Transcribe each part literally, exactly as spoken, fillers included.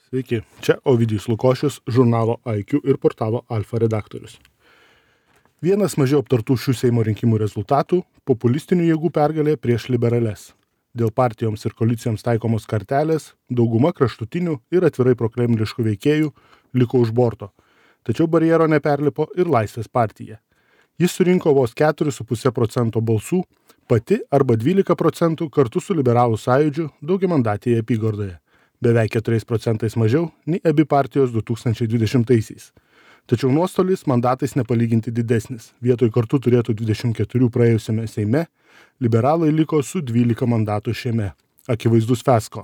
Sveiki, čia Ovidijus Lukošius, žurnalo I Q ir portalo Alfa redaktorius. Vienas mažiau aptartų šių Seimo rinkimų rezultatų – populistinių jėgų pergalė prieš liberales. Dėl partijoms ir koalicijoms taikomos kartelės dauguma kraštutinių ir atvirai prokremliškų veikėjų liko už borto, tačiau barjero neperlipo ir Laisvės partija. Jis surinko vos keturi su puse procento balsų, pati arba dvylika procentų kartu su liberalų sąjūdžiu daugiamandatėje apygardoje, beveik keturiais procentais mažiau nei abi partijos du tūkstančiai dvidešimtaisiais. Tačiau nuostolis mandatais nepalyginti didesnis. Vietoj kartu turėtų dvidešimt keturi praėjusiame Seime, liberalai liko su dvylika mandatų šiame. Akivaizdus fiasko.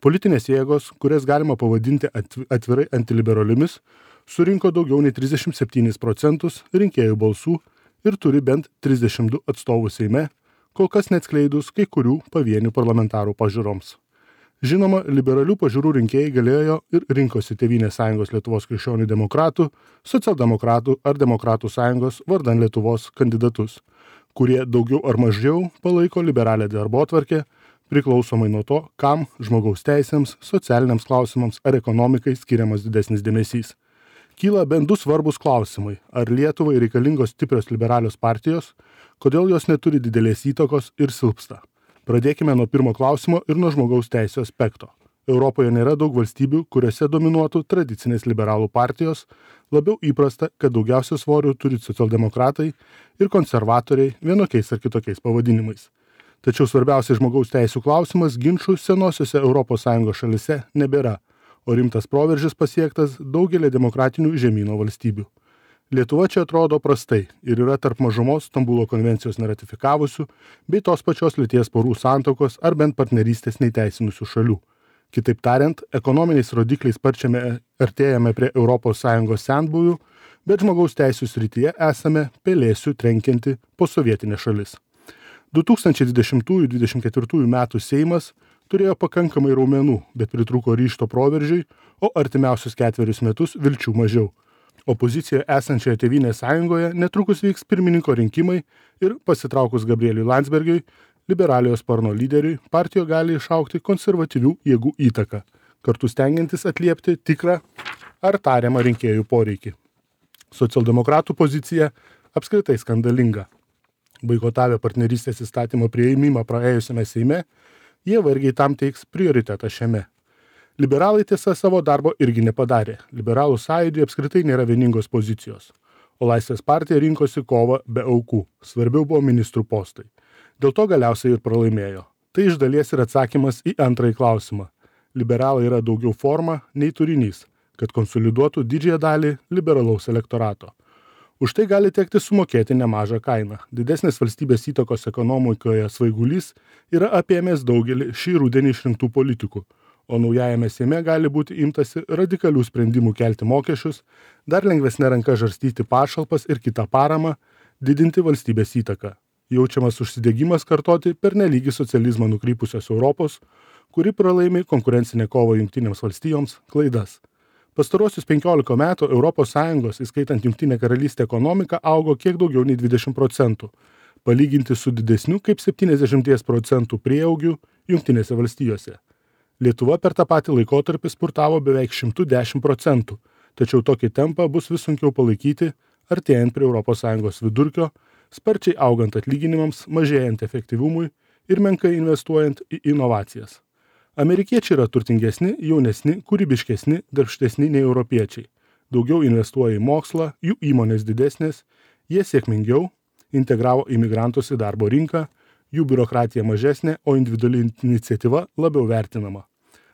Politinės jėgos, kurias galima pavadinti atvirai antiliberaliomis, surinko daugiau nei trisdešimt septynis procentus rinkėjų balsų ir turi bent trisdešimt du atstovus Seime, kol kas neatskleidus kai kurių pavienių parlamentarų pažiūroms. Žinoma, liberalių pažiūrų rinkėjai galėjo ir rinkosi Tėvynės sąjungos Lietuvos krikščionių demokratų, socialdemokratų ar demokratų sąjungos vardan Lietuvos kandidatus, kurie daugiau ar mažiau palaiko liberalią darbotvarkę, priklausomai nuo to, kam žmogaus teisėms, socialiniams klausimams ar ekonomikai skiriamas didesnis dėmesys. Kyla bent du svarbus klausimai, ar Lietuvai reikalingos stiprios liberalios partijos, kodėl jos neturi didelės įtakos ir silpsta. Pradėkime nuo pirmo klausimo ir nuo žmogaus teisų aspekto. Europoje nėra daug valstybių, kuriuose dominuotų tradicinės liberalų partijos, labiau įprasta, kad daugiausia svorių turi socialdemokratai ir konservatoriai vienokiais ar kitokiais pavadinimais. Tačiau svarbiausias žmogaus teisų klausimas ginčų senosiose Europos Sąjungos šalise nebėra, o rimtas proveržis pasiektas daugelį demokratinių žemyno valstybių. Lietuva čia atrodo prastai ir yra tarp mažumos Stambulo konvencijos neratifikavusių bei tos pačios lyties porų santuokos ar bent partnerystės neįteisinusių šalių. Kitaip tariant, ekonominiais rodikliais sparčiame artėjame prie Europos Sąjungos senbuvių, bet žmogaus teisų srityje esame pelėsių trenkianti posovietinė šalis. du tūkstančiai dvidešimtųjų dvidešimt ketvirtųjų metų Seimas turėjo pakankamai raumenų, bet pritrūko ryžto proveržiui, o artimiausius ketverius metus vilčių mažiau. Opozicijoje esančioje Tėvynės sąjungoje netrukus vyks pirmininko rinkimai ir pasitraukus Gabrieliui Landsbergiui, liberaliojo sparno lyderiui, partijoje gali išaugti konservatyvių jėgų įtaką, kartu stengiantis atliepti tikrą ar tariamą rinkėjų poreikį. Socialdemokratų pozicija apskritai skandalinga. Boikotavę partnerystės įstatymo priėmimą praėjusiame Seime, jie vargiai tam teiks prioritetą šiame. Liberalai tiesa savo darbo irgi nepadarė. Liberalų sąjūdžiui apskritai nėra vieningos pozicijos. O Laisvės partija rinkosi kovą be aukų. Svarbiau buvo ministrų postai. Dėl to galiausiai ir pralaimėjo. Tai iš dalies ir atsakymas į antrąjį klausimą. Liberalai yra daugiau forma nei turinys, kad konsoliduotų didžiąją dalį liberalaus elektorato. Už tai gali tekti sumokėti nemažą kainą. Didesnės valstybės įtakos ekonomikoje svaigulys yra apėmęs daugelį šį rudenį išrinktų politikų, o naujajame Seime gali būti imtasi radikalių sprendimų kelti mokesčius, dar lengvesnė ranka žarstyti pašalpas ir kitą paramą, didinti valstybės įtaką. Jaučiamas užsidegimas kartoti per nelygį socializmą nukrypusios Europos, kuri pralaimi konkurencinę kovą Jungtinėms valstijoms, klaidas. Pastarosius penkiolika metų Europos Sąjungos, įskaitant Jungtinę karalystę ekonomika, augo kiek daugiau nei dvidešimt procentų, palyginti su didesniu kaip septyniasdešimt procentų prieaugiu Jungtinėse valstijose. Lietuva per tą patį laikotarpį spurtavo beveik šimtu dešimt procentų, tačiau tokį tempą bus vis sunkiau palaikyti, artėjant prie Europos Sąjungos vidurkio, sparčiai augant atlyginimams, mažėjant efektyvumui ir menkai investuojant į inovacijas. Amerikiečiai yra turtingesni, jaunesni, kūrybiškesni, darbštesni nei europiečiai. Daugiau investuoja į mokslą, jų įmonės didesnės, jie sėkmingiau integravo imigrantus į darbo rinką, jų biurokratija mažesnė, o individuali iniciatyva labiau vertinama.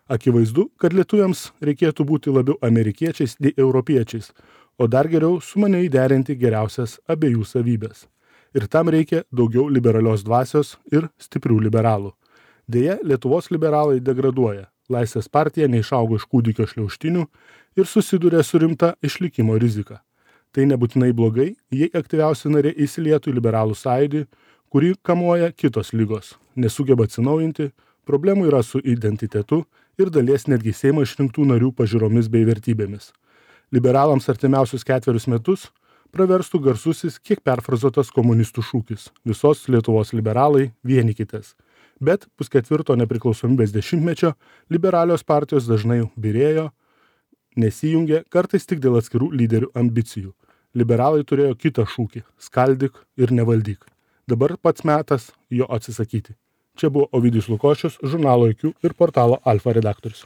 Akivaizdu, kad lietuviams reikėtų būti labiau amerikiečiais nei europiečiais, o dar geriau sumaniai derinti geriausias abiejų savybės. Ir tam reikia daugiau liberalios dvasios ir stiprių liberalų. Deja, Lietuvos liberalai degraduoja. Laisvės partija neišaugo iš kūdikio šliaužtinių ir susiduria su rimta išlikimo rizika. Tai nebūtinai blogai, jei aktyviausi nariai įsilietų į liberalų sąjūdį, kurį kamuoja kitos ligos, nesugeba atsinaujinti, problemų yra su identitetu ir dalies netgi Seimo išrinktų narių pažiūromis bei vertybėmis. Liberalams artimiausius ketverius metus praverstų garsusis kiek perfrazuotas komunistų šūkis: visos Lietuvos liberalai vienykitės. Bet pusketvirto nepriklausomybės dešimtmečio liberalios partijos dažnai byrėjo, nesijungė, kartais tik dėl atskirų lyderių ambicijų. Liberalai turėjo kitą šūkį – skaldyk ir nevaldyk. Dabar pats metas jo atsisakyti. Čia buvo Ovidijus Lukošius, žurnalo I Q ir portalo Alfa redaktorius.